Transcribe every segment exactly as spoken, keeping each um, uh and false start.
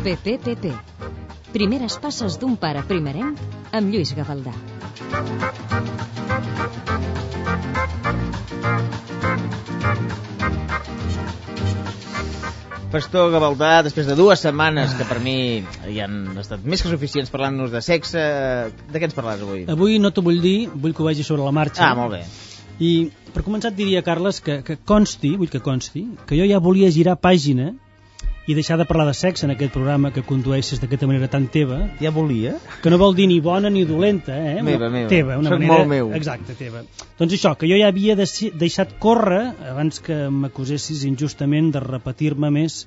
P P P P. Primeres passes d'un pare primerenc amb Lluís Gavaldà. Pastor Gavaldà, després de dues setmanes que per mi hi han estat més que suficients parlant-nos de sexe, de què ens parlaràs avui? Avui no t'ho vull dir, vull que ho vegi sobre la marxa. Ah, molt bé. I per començar et diria, Carles, que, que consti, vull que consti, que jo ja volia girar pàgina i deixar de parlar de sexe en aquest programa que condueixes d'aquesta manera tan teva. Ja volia? Que no vol dir ni bona ni dolenta, eh? Meva, meva. Teva, una Soc manera... molt meu. Exacte, teva. Doncs això, que jo ja havia deixat córrer, abans que m'acusessis injustament de repetir-me més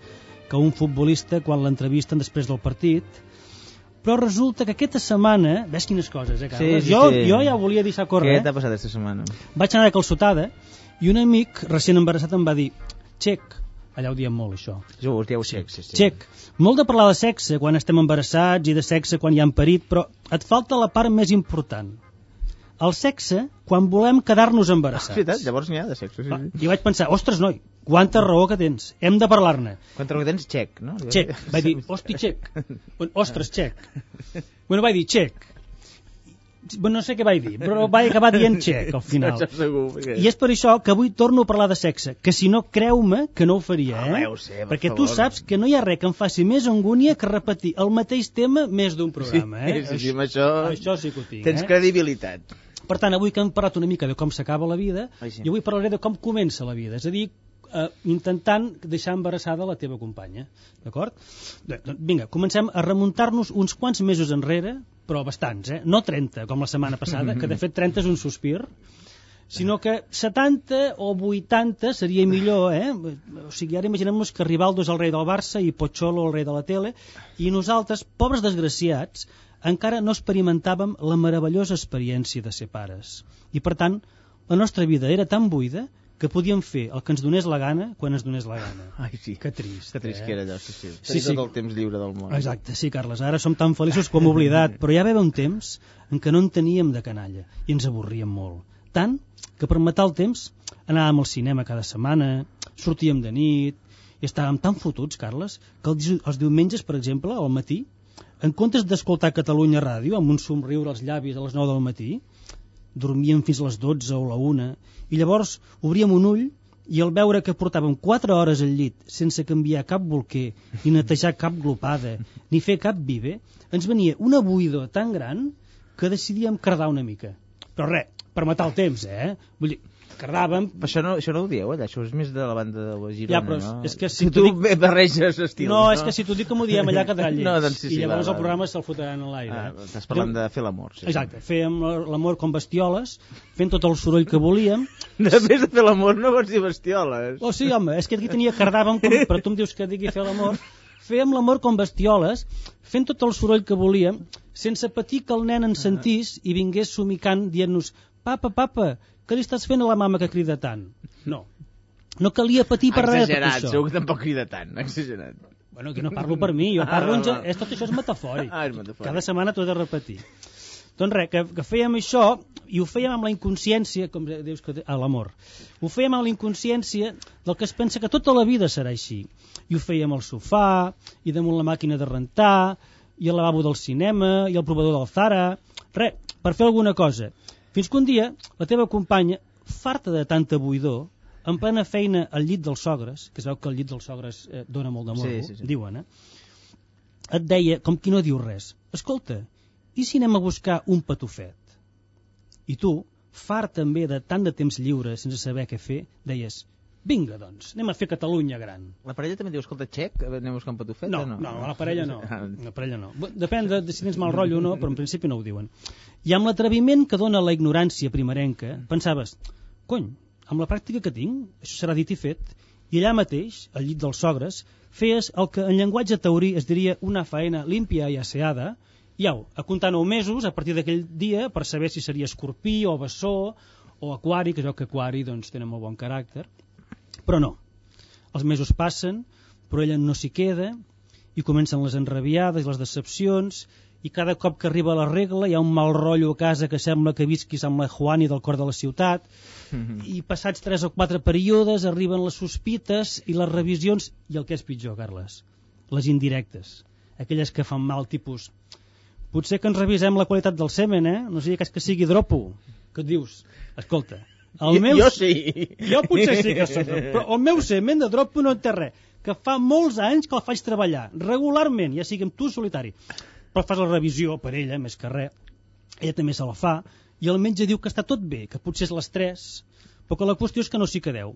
que un futbolista quan l'entrevisten després del partit, però resulta que aquesta setmana, ves quines coses, eh, Carles? Sí, sí, jo, sí. jo ja volia deixar córrer. Què t'ha passat aquesta setmana? Vaig anar de calçotada i un amic recient embarassat em va dir: Xec, allà ho diem molt, això. Jo us dieu xec, sí, sí. Xec, molt de parlar de sexe quan estem embarassats i de sexe quan hi han parit, però et falta la part més important. El sexe quan volem quedar-nos embarassats. Ah, veritat, llavors n'hi ha de sexe, sí, sí. I vaig pensar, ostres, noi, quanta raó que tens, hem de parlar-ne. Quanta raó que tens? Xec, no? Xec, vaig dir, hosti, xec. Ostres, xec. Bueno, vaig dir, xec. Bueno, no sé què vaig dir, però vaig acabar dient xec al final. No, segur, perquè... I és per això que avui torno a parlar de sexe, que si no, creu-me que no ho faria, eh? Ah, ho sé, per perquè favor. tu saps que no hi ha res que em faci més angúnia que repetir el mateix tema més d'un programa, sí, eh? Sí, sí, amb això... Això sí que ho tinc, tens eh? credibilitat. Per tant, avui que hem parlat una mica de com s'acaba la vida, Ai, sí. jo avui parlaré de com comença la vida, és a dir, eh, intentant deixar embarassada la teva companya, d'acord? Doncs vinga, comencem a remuntar-nos uns quants mesos enrere, però bastants, eh? No trenta, com la setmana passada, que de fet trenta és un sospir, sinó que setanta o vuitanta seria millor, eh? O sigui, ara imaginem-nos que Rivaldo és el rei del Barça i Pocholo el rei de la tele, i nosaltres, pobres desgraciats, encara no experimentàvem la meravellosa experiència de ser pares. I, per tant, la nostra vida era tan buida que podíem fer el que ens donés la gana quan ens donés la gana. Ai, sí. Que trist, que trist eh? que era allò, sí, sí. Sí, sí. Tot el temps lliure del món. Exacte, sí, Carles. Ara som tan feliços com oblidat, però ja va haver un temps en què no en teníem de canalla i ens avorríem molt. Tant que per matar el temps anàvem al cinema cada setmana, sortíem de nit i estàvem tan fotuts, Carles, que els, els diumenges, per exemple, al matí, en comptes d'escoltar Catalunya Ràdio amb un somriure als llavis a les nou del matí, dormíem fins a les dotze o la una, i llavors obríem un ull i al veure que portàvem quatre hores al llit sense canviar cap bolquer, ni netejar cap glopada, ni fer cap viver, ens venia una buidor tan gran que decidíem cardar una mica. Però res, per matar el temps, eh? Vull dir, cardàvem... Però això no, això no ho dieu, allà, això és més de la banda de la Girona, ja, però no? és que si tu dic... barreges estils, no, no, és que si t'ho dic que m'ho diem allà quedarà lleig. No, doncs sí, sí, I llavors va, el va. programa se'l fotran a l'aire. Ah, estàs parlant de fer l'amor. Sí. Exacte, fèiem l'amor com bestioles, fent tot el soroll que volíem. Després de fer l'amor no pots dir bestioles. Oh, sí, home, és que aquí tenia cardàvem, com, però tu em dius que digui fer l'amor. Fèiem l'amor com bestioles, fent tot el soroll que volíem, sense patir que el nen ens sentís i vingués somicant dient-nos: papa, papa, què li estàs fent a la mama que crida tant? No, no calia patir per res de tot Exagerat, això. segur que tampoc crida tant, exagerat. Bueno, que no parlo per mi, jo parlo... Ah, en... va. és, tot això és metafòric. Ah, és metafòric. Cada setmana t'ho he de repetir. Doncs res, que, que fèiem això, i ho fèiem amb la inconsciència, com dius que a l'amor, ho fèiem amb la inconsciència del que es pensa que tota la vida serà així. I ho fèiem al sofà, i damunt la màquina de rentar, i al lavabo del cinema, i al provador del Zara... Res, per fer alguna cosa. Fins que un dia la teva companya, farta de tanta buidor, en plena feina al llit dels sogres, que es veu que el llit dels sogres eh, dona molt de morbo, sí, sí, sí. diuen, eh? Et deia, com qui no diu res: escolta, i si anem a buscar un patufet? I tu, fart també de tant de temps lliure sense saber què fer, deies: vinga, doncs, anem a fer Catalunya gran. La parella també diu: escolta, xec, anem a buscar un patufet? No, no, no, la parella no. La parella no. Depèn de, de si tens mal rotllo o no, però en principi no ho diuen. I amb l'atreviment que dona la ignorància primerenca, pensaves: cony, amb la pràctica que tinc, això serà dit i fet. I allà mateix, al llit dels sogres, feies el que en llenguatge taurí es diria una faena límpia i asseada, i au, a comptar nou mesos a partir d'aquell dia per saber si seria escorpí o bessó o aquari, que es veu que aquari doncs, tenen molt bon caràcter. Però no, els mesos passen, però ella no s'hi queda, i comencen les enrabiades i les decepcions, i cada cop que arriba la regla hi ha un mal rotllo a casa que sembla que visquis amb la Juani del cor de la ciutat, mm-hmm. i passats tres o quatre períodes arriben les sospites i les revisions, i el que és pitjor, Carles, les indirectes. aquelles que fan mal, tipus potser que ens revisem la qualitat del semen, eh? No sigui cas que sigui dropo. Que et dius, escolta, el meu... Jo sí. Jo potser sí que soc, però el meu semen de dropo no en té res, que fa molts anys que el faig treballar, regularment, ja sigui amb tu solitari. Però fas la revisió per ella, més que res, ella també se la fa, i el metge diu que està tot bé, que potser és l'estrès, però que la qüestió és que no s'hi quedeu.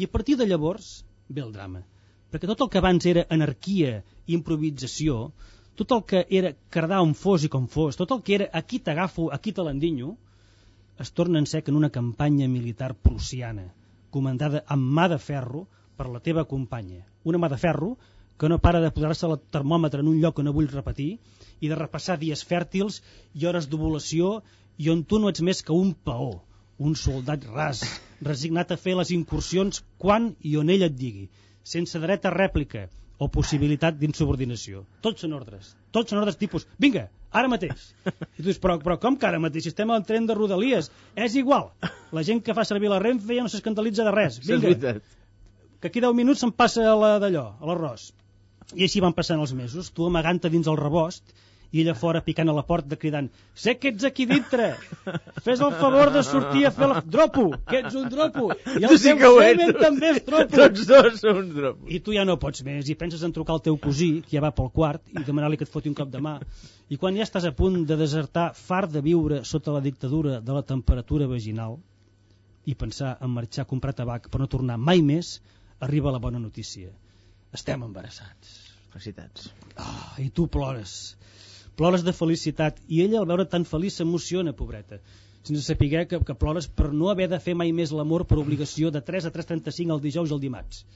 I a partir de llavors ve el drama, perquè tot el que abans era anarquia i improvisació, tot el que era cardar on fos i com fos, tot el que era aquí t'agafo, aquí te l'endinyo, es torna en sec en una campanya militar prussiana, comandada amb mà de ferro per la teva companya. Una mà de ferro que no para de posar-se el termòmetre en un lloc que no vull repetir i de repassar dies fèrtils i hores d'ovulació i on tu no ets més que un peó, un soldat ras, resignat a fer les incursions quan i on ell et digui, sense dret a rèplica o possibilitat d'insubordinació. Tots són ordres, tots són ordres tipus, vinga, ara mateix. I tu dius, però, però com que ara mateix? Si estem al tren de Rodalies, és igual. La gent que fa servir la Renfe ja no s'escandalitza de res. Vinga, que aquí deu minuts se'n passa a la d'allò, a l'arròs. I així van passant els mesos, tu amagant-te dins el rebost, i ella fora picant a la porta cridant, sé que ets aquí dintre, fes el favor de sortir a fer el dropo, que ets un dropo, i el sí teu semen ets. també és dropo. Tots dos són uns dropos. I tu ja no pots més, i penses en trucar al teu cosí, que ja va pel quart, i demanar-li que et foti un cop de mà. I quan ja estàs a punt de desertar, fart de viure sota la dictadura de la temperatura vaginal, i pensar en marxar a comprar tabac per no tornar mai més, arriba la bona notícia. Estem embarassats. Felicitats. Oh, i tu plores. Plores de felicitat. I ella, al veure tan feliç, s'emociona, pobreta. Sense saber que, que plores per no haver de fer mai més l'amor per obligació de tres a tres trenta-cinc el dijous i el dimarts.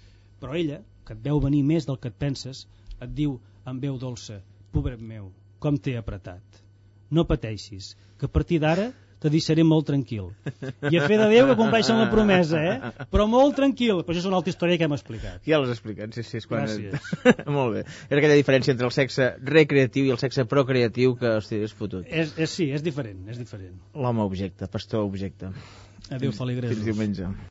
Però ella, que et veu venir més del que et penses, et diu amb veu dolça, pobret meu, com t'he apretat. No pateixis, que a partir d'ara te deixaré molt tranquil. I a fe de Déu que compleixen la promesa, eh? Però molt tranquil. Però això és una altra història que hem explicat. Ja l'has explicat, sí, sí. És quan... Gràcies. Molt bé. És aquella diferència entre el sexe recreatiu i el sexe procreatiu que, hosti, és fotut. És, és, sí, és diferent, és diferent. L'home objecte, pastor objecte. Adéu, feligresos. Fins diumenge.